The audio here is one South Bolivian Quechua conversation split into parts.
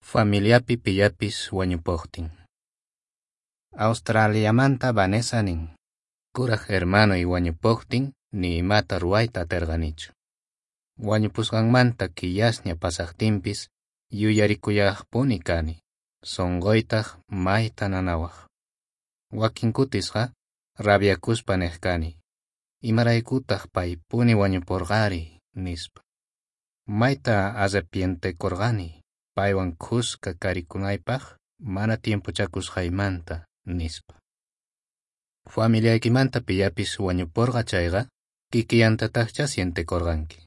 Familiapi pillapis wañupojtin. Australiamanta Vanessa nin: Kuraj hermanoy wañupojtin ni imata ruwayta aterqanichu. Wañupusqanmanta killasña pasajtinpis yuyarikullajpuni kani, sonqoytaj mayta nanawaj. Wakin kutisqa rabiakuspa nej kani: Imaraykutaj paypuni wañuporqari, nispa. Mayta arrepientekorqani paywan khuska karikunaypaj mana tiempochakusqaymanta, nispa. Familiaykimanta pillapis wañuporqa chayqa, kikillantatajchá sientekorqanki.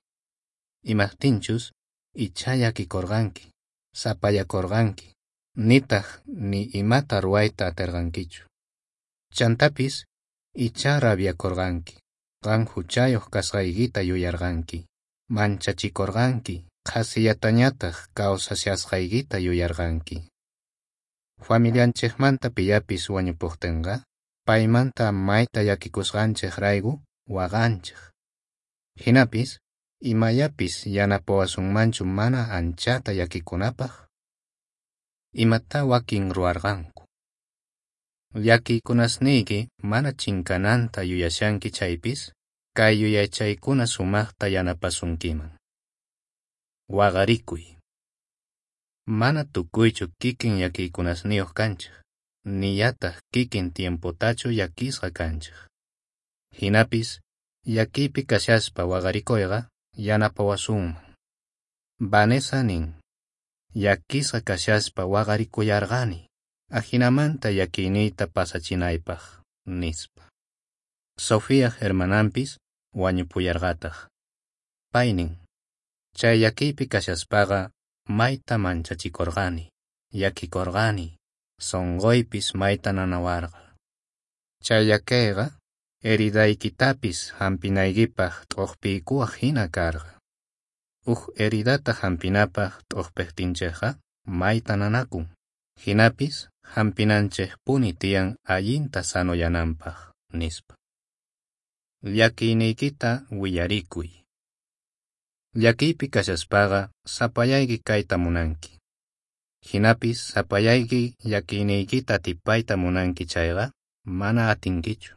Imajtinchus ichá llakikorqanki, sapayakorqanki, nitaj ni imata ruwayta aterqankichu. Chantapis ichá rabiakorqanki, qan juchayoj kasqaykita yuyarqanki, manchachikorqanki, qhasillatañataj kawsashasqaykita yuyarqanki. Familianchejmanta pillapis wañupojtenqa, paymanta mayta llakikusqanchejrayku waqanchej. Jinapis, imayapis yanapawasunmanchu mana anchata llakikunapaj? Imatá wakin ruwarqanku? Llakiykunasniyki mana chinkananta yuyashanki chaypis, kay yuyaychaykuna sumajta yanapasunkiman. Waqarikuy. Mana tukuychu kikin llakiykunasniyoj kanchej, nillataj kikin tiempotachu llakisqa kanchej. Jinapis, llakiypi kashaspa waqarikoyqa yanapawasunman. Vanessa nin: Llakisqa kashaspa waqarikullarqani, ajinamanta llakiyniyta pasachinaypaj, nispa. Sofiaj hermananpis wañupullarqataj. Pay nin: Chay llakiypi kashaspaqa mayta manchachikorqani, llakikorqani, sonqoypis mayta nanawarqa. Chay llakeyqa heridaykitapis jampinaykipaj t'ojpiykuwaj jina karqa. Uj heridata jampinapaj t'ojpejtinchejqa mayta nanakun. Jinapis jampinanchejpuni tiyan allinta sanoyananpaj, nispa. Llakiyniykita willarikuy. Llakiypi kashaspaqa sapallayki kayta munanki. Jinapis sapallayki llakiyniykita atipayta munanki chayqa mana atinkichu.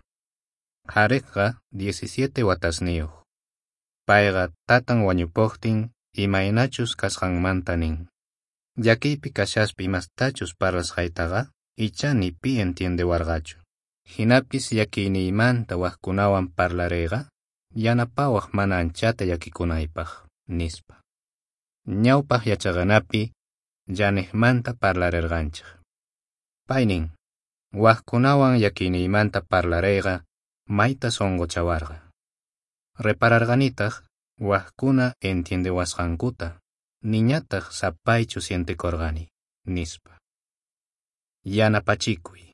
Jarekqa 17 watasniyoj. Payqa tatan wañupojtin imaynachus kasqanmanta nin: Llakiypi kashaspa imastachus parlasqaytaqa ichá ni pi entiendewarqachu. Jinapis llakiyniymanta wajkunawan parlareyqa yanapawaj mana anchata llakikunaypaj, nispa. Ñawpaj yachaqanapi Janejmanta parlarerqanchej. Pay nin: Wajkunawan llakiyniymanta parlareyqa mayta sonqochawarqa. Repararqanitaj wajkuna entiendewasqankuta, niñataj sapaychu sientekorqani, nispa. Yanapachikuy.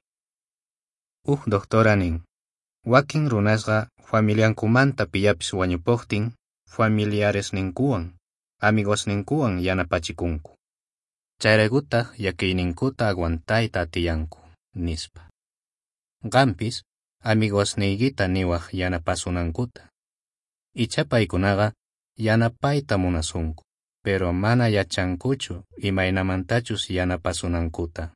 Uj doctora nin: Wakin runasqa familiankumanta pillapis wañupojtin familiaresninkuwan, amigosninkuwan yanapachikunku. Chayraykutaj llakiyninkuta aguantayta atiyanku, nispa. Qanpis amigosniykita niwaj yanapasunankuta. Ichá paykunaqa yanapayta munasunku, pero mana yachankuchu imaynamantachus yanapasunankuta.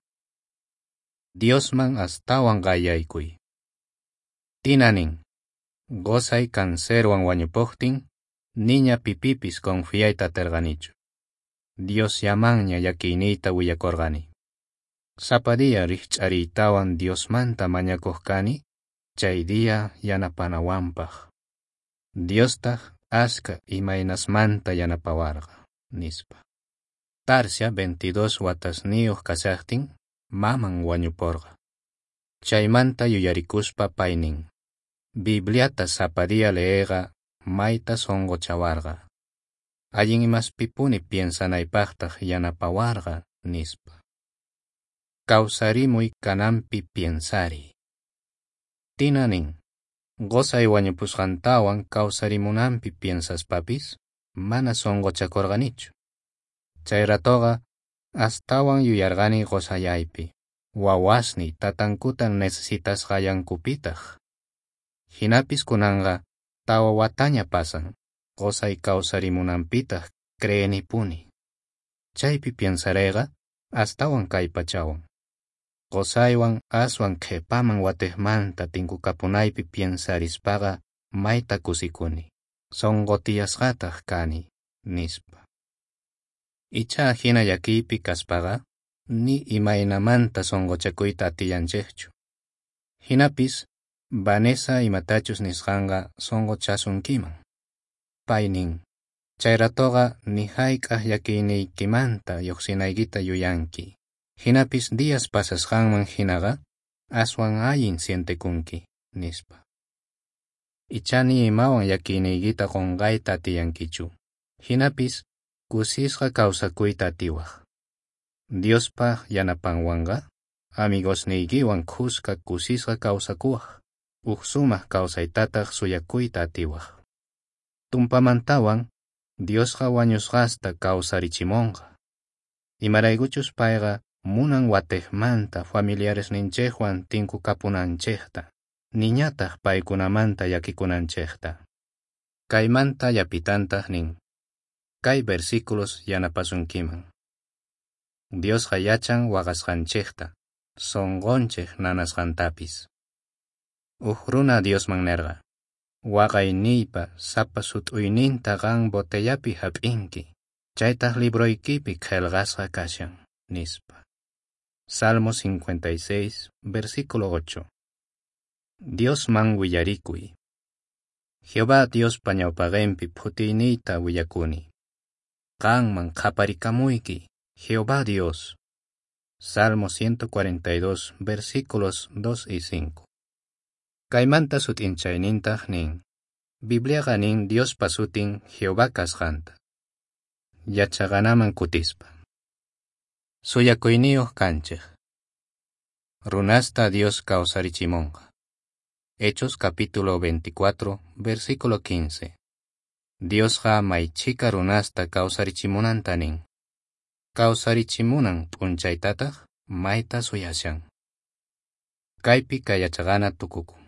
Diosman astawan qayllaykuy. Tina nin: Qosay cancerwan wañupojtin, niña pipipis confiayta aterqanichu. Diosllamanña llakiyniyta willakorqani. Sapa día rijch'ariytawan Diosmanta mañakoj kani, chay día yanapanawanpaj. Diostaj ashkha imaynasmanta yanapawarqa, nispa. Tarsia 22 watasniyoj kashajtin maman wañuporqa. Chaymanta yuyarikuspa pay nin: Bibliata sapa día leeyqa mayta sonqochawarqa. Allin imaspipuni piensanaypajtaj yanapawarqa, nispa. Kawsarimuy kananpi piensariy. Tina nin: Qosay wañupusqantawan kawsarimunanpi piensaspapis mana sonqochakorqanichu. Chay ratoqa astawan yuyarqani qosayaypi, wawasniy tatankuta necesitasqallankupitaj. Jinapis kunanqa 4 wataña pasan, qosay kawsarimunanpitaj creenipuni. Chaypi piensareyqa astawan kallpachawan. Qosaywan aswan qhepaman watejmanta tinkukapunaypi piensarispaqa mayta kusikuni, sonqo tiyasqataj kani, nispa. Ichá jina llakiypi kaspaqa ni imaynamanta sonqochakuyta atillanchejchu. Jinapis Vanessa imatachus nisqanqa sonqochasunkiman. Pay nin: Chay ratoqa ni jayk'aj llakiyniykimanta llojsinaykita yuyanki. Jinapis días pasasqanman jinaqa aswan allin sientekunki, nispa. Ichá ni imawan llakiyniykita qonqayta atillankichu. Jinapis kusisqa kawsakuyta atiwaj. Diospa yanapanwanqa amigosniykiwan khuska kusisqa kawsakuwaj, uj sumaj kawsaytataj suyakuyta atiwaj. Tumpamantawan Diosqa wañusqasta kawsarichimonqa. Imaraykuchus payqa munan watejmanta familiaresninchejwan tinkukapunanchejta, niñataj paykunamanta llakikunanchejta. Kaymanta llapitantaj nin: Kay versículos yanapasunkiman. Diosqa yachan waqasqanchejta, sonqonchej nanasqantapis. Uj runa Diosman nerqa: Waqayniypa sapa sut'uyninta qan botellapi jap'inki, chaytaj libroykipi qhelqasqa kashan, nispa. Salmo 56, versículo 8. Diosman willarikuy. Jehová Diospa ñawpaqenpi phutiyniyta willakuni. Qanman qhaparikamuyki, Jehová Dios. Salmo 142, versículos 2 y 5. Kaymanta sut'inchaynintaj nin: Bibliaqa nin Diospa sutin Jehová kasqanta. Yachaqanaman kutispa. Suyakuyniyoj kanchej. Runasta Dios kawsarichimonqa. Hechos capítulo 24, versículo 15. Diosqa may chhika runasta kawsarichimunanta nin. Kawsarichimunan p'unchaytataj mayta suyashan. Kaypi kay yachaqana tukukun.